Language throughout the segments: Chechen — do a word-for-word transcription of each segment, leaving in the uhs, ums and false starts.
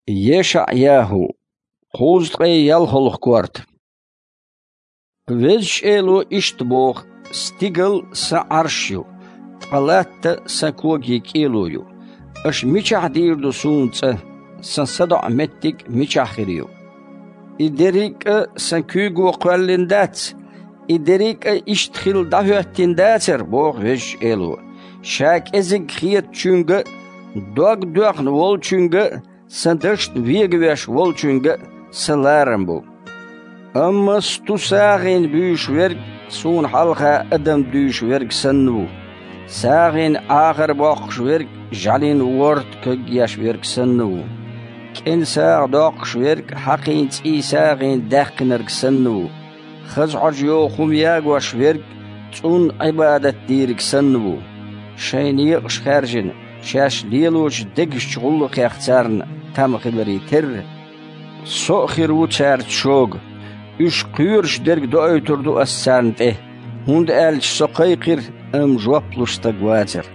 ЕшаӀ-ЯхӀу, кхузткъе ялхолгӀа корта. Везачу Эло иштта боху: «Стигал Сан Ӏарш ю, ткъа латта Сан когийн кӀело ю. Аша мичахь дийр ду Суна цӀа? Сан садоӀу меттиг мичахь хир ю? И дерриг а Сан куьйго кхоьллина дац? И дерриг а иштта хилла дӀахӀоьттина дацара?» — боху Везачу Эло. «Ша кӀезиг хетачуьнга а, дог доьхна волчуьнга а, Сан дашна вегавеш волчуьнга а Сан ларам бу. Амма сту сагӀина буьйш верг Суна хьалха адам дуьйш верг санна ву. СагӀина Ӏахар боккхуш верг жӀаьлин ворта кагъеш верг санна ву. КӀен сагӀа доккхуш верг хьакхин цӀий сагӀина даьккхинарг санна ву. Хаза Ӏожа йогӀу хӀума ягош верг цӀунна Ӏибадат дийриг санна ву. Шайн некъаш хаьржина, шаьш лелочу дегашчу гӀуллакхех царна там хиларе терра, Со а хир ву цаьрца шога. Уьш кхоьруш дерг доуьйтур ду Ас царна тӀе, хӀунда аьлча Со кхайкхира, амма жоп луш стаг вацара.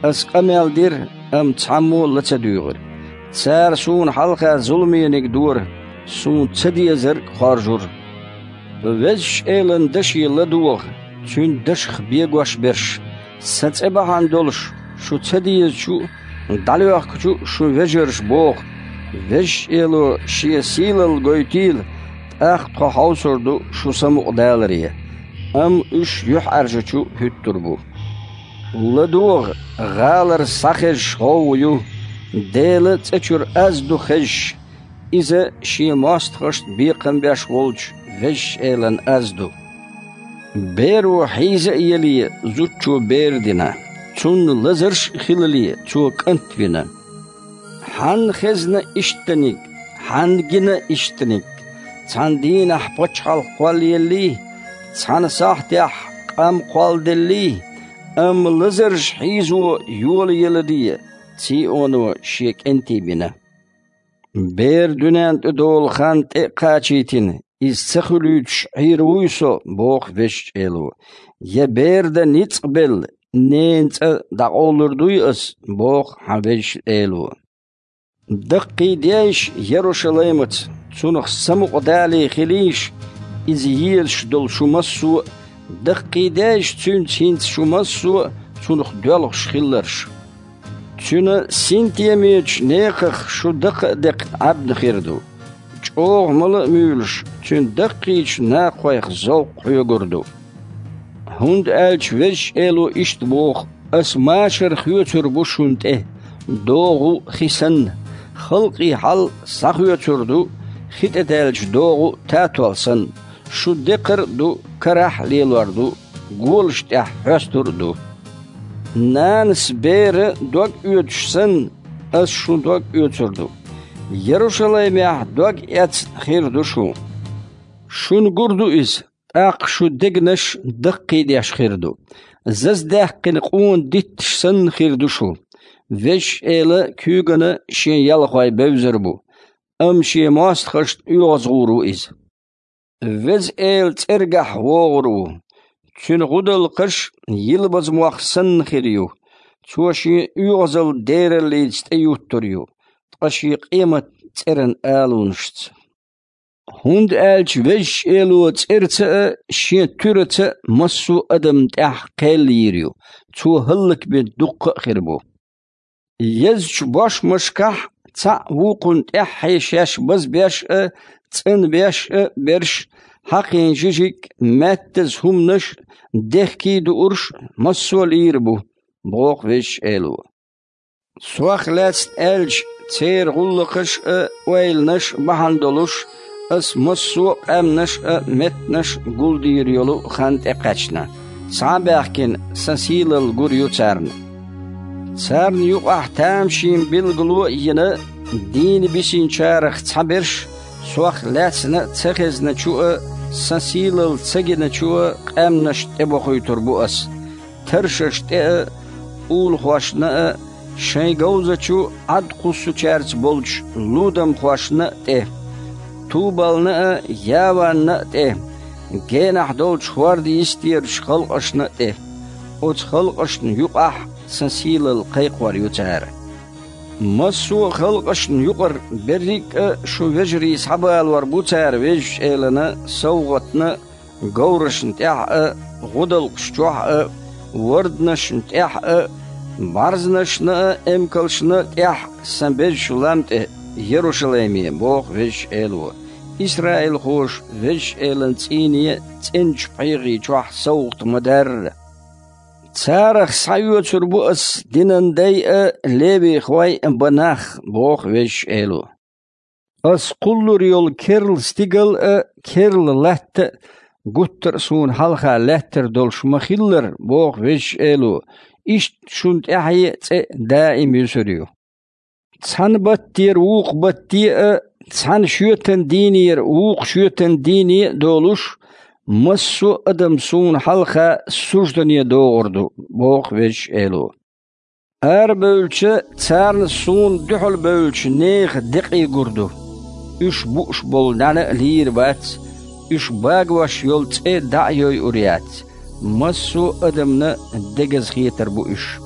Ас къамел дира, амма цхьаммо а ла ца дуьйгӀира. Цара Суна хьалха зуламениг дора, Суна ца дезарг хоржура». Везачу Элан даше ладогӀа, Цуьнан дашах бегош берш, Сан цӀе бахьана долуш, шу ца дезачу а, дӀалоьхкучу а шун вежарша боху: «Везачу Эло Шен сийлалла гойтийла, тӀаккха тхо хьовсур ду шу самукъадаларе». Амма уьш юьхьӀаьржачу хӀуьттур бу. ЛадогӀа, гӀалара схьахезаш гӀовгӀа ю, Делан цӀа чуьра аз ду хезаш, иза Шен мостагӀашна бекхам беш волчу Везачу Элан аз ду. Беро хьийза а еле, зудчо бер дина, цунна лазарш а хилале, цо кӀант вина. Хьанна хезна ишттаниг, хьанна гина ишттаниг? Цхьана дийнахь пачхьалкх кхоллаеллий, цхьана сахьтехь къам кхолладеллий, амма лазарш хьийзо йолаеладе, Ционо Шен кӀентий бина. Бер дуьнен тӀе долу хан тӀе а кхачийтина, иза ца хуьлуьйтуш Ӏийр вуй Со, боху Везачу Эло. Я бер дан ницкъ белла, ненан цӀа дӀакъовлур дуй Ас, боху хьан Везачу Эло. Даккхийдейша Ярушалаймаца, цунах самукъадале хилийша иза езаш долу шу массо а, даккхийдейша цуьнца хӀинца шу массо а, цунах доьлхуш хилларш. Цуьнан синтемечу некхах шу дакха а декхна Ӏаьбна хир ду. ЧӀогӀа мала а муьйлуш, цуьнан даккхийчу накхойх зовкх хьоьгур ду. ХӀунда аьлча Везачу Эло иштта боху: «Ас машар хоьцур бу шуна тӀе, догӀу хи санна, халкъийн хьал схьахоьцур ду, хи тӀе даьллачу догӀу татол санна. Шу декхар а ду, карахь а лелор ду, голаш тӀехь хьоьстур а ду. Нанас беран дог оьцуш санна, Ас шун дог оьцур ду. Ярушалаймехь дог эцна хир ду шу. Шуна гур ду иза, тӀаккха шун дегнаш даккхийдеш хир ду. Заздаьккхина къона дитташ санна хир ду шу. Везачу Эла куьйгана Шен ялхой бевзар бу, амма Шен мостагӀашна оьгӀазгӀур ву иза. Веза Эла цӀергахь вогӀур ву. Цуьнан гӀудалкхаш йилбаза мох санна хир ю. Цо Шен оьгӀазалла дераллица тӀеюттур ю, ткъа Шен къематан цӀеран алонашца. ХӀунда аьлча Везачу Эло цӀерца а, Шен туьраца а массо а адамна тӀехь кхел йийр ю, цо хӀаллакбина дуккха а хир бу. Езачу бошмашкахь цхьаъ вукхунна тӀаьххье шаьш базбеш а, цӀанбеш а берш, хьакхийна жижиг а, маьттаза хӀуманаш а, дехкий а дуурш а массо а лийр бу, боху Везачу Эло. Сох лаьцна аьлча, церан гӀуллакхаш а, ойланаш а бахьана долуш, Ас массо а къаьмнаш а, меттанаш а гулдийр йолу хан тӀекхаьчна, схьа а баьхкина, Сан сийлалла гур ю царна. Царна юкъахь тамашийна билгало а йина, дийна бисинчарах цхьаберш, Сох лаьцна а ца хезначу а, Сан сийлалла ца гиначу а къаьмнашна тӀебохуьйтур бу Ас, таршашна тӀе а, улахошна а, шайн говзачу Ӏад кхуссучаьрца болчу лудамхошна а тӀе, Тубална а, Яванна а тӀе, генахь долчу хӀорда йистерачу халкъашна а тӀе. Оцу халкъашна юкъахь Сан сийлалла кхайкхор ю цара. Массо а халкъашна юкъара берриг а шу вежарий схьабалор бу цара Везачу Элана совгӀатна, говрашна тӀехь а, гӀудалкхаш чохь а, варданашна тӀехь а, бӀаьрзанашна а, эмкалшна а тӀехь сан безачу лам тӀе, Ярушалайме, боху Везачу Эло, исраилхоша Везачу Элан цӀийне цӀеначу пхьегӀи чохь совгӀат ма-дарра. Царах схьаоьцур бу ас динан дай а, левихой а бан нах, боху Везачу Эло. Ас кхуллур йолу керла стигал а, керла латта а гуттар а суна хьалха лаьттар долуш ма-хиллара, боху Везачу Эло, иштта шуна тӀаьхье а цӀе даим юьсур ю. Цхьана баттера вукху батте а, цхьана шоьтан дийнера вукху шоьтан дийне а долуш, массо а адам суна хьалха суждане догӀур ду, боху Везачу Эло. Арабевлча, царна суна дуьхьал бевллачу нехан декъий гур ду. Уьш бууш болу нӀаьна а лийр бац, уьш багош йолу цӀе дӀа а йойур яц, массо а адамна дегаза хетар бу уьш.